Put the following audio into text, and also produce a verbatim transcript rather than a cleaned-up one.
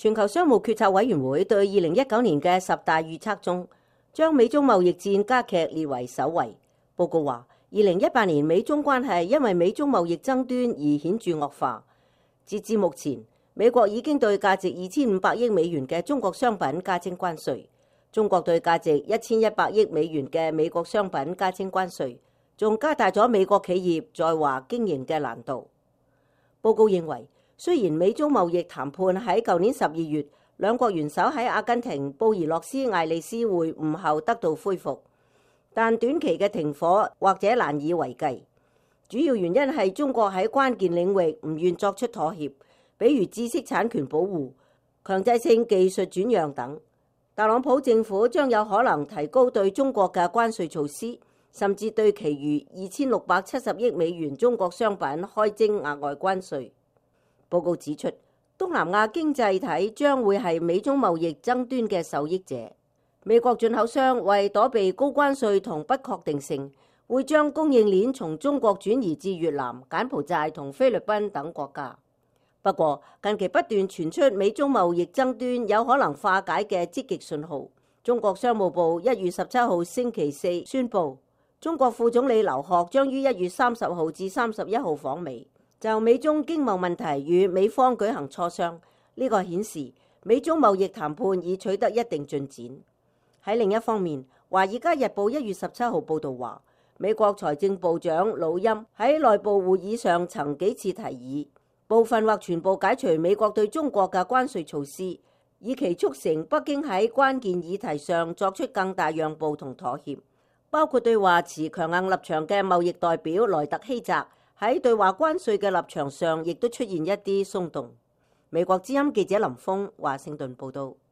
全球商務決策委員會對二零一九年嘅十大預測中，將美中貿易戰加劇列為首位。報告話，二零一八年美中關係因為美中貿易爭端而顯著惡化。截至目前，美國已經對價值二千五百億美元嘅中國商品加徵關稅，中國對價值一千一百億美元嘅美國商品加徵關稅，仲加大咗美國企業在華經營嘅難度。報告認為，雖然美中貿易談判喺舊年十二月兩國元首喺阿根廷布宜諾斯艾利斯會晤後得到恢復，但短期嘅停火或者難以為繼。主要原因係中國喺關鍵領域唔願作出妥協，比如知識產權保護、強制性技術轉讓等。特朗普政府將有可能提高對中國嘅關稅措施，甚至對其餘二千六百七十億美元中國商品開徵額外關稅。報告指出，東南亞經濟體將會係美中貿易爭端嘅受益者。美國進口商為躲避高關稅同不確定性，會將供應鏈從中國轉移至越南、柬埔寨同菲律賓等國家。不過，近期不斷傳出美中貿易爭端有可能化解嘅積極信號。中國商務部一月十七號星期四宣布，中國副總理劉鶴將於一月三十號至三十一號訪美，就美中經貿問題與美方舉行磋商。呢個顯示美中貿易談判已取得一定進展。喺另一方面，《華爾街日報》一月十七號報導話，美國財政部長魯欽喺內部會議上曾幾次提議部分或全部解除美國對中國嘅關稅措施，以期促成北京喺關鍵議題上作出更大讓步同妥協，包括對華持強硬立場嘅貿易代表萊特希澤喺對華關稅嘅立場上亦都出現一啲鬆動。美國之音記者林峰華盛頓報道。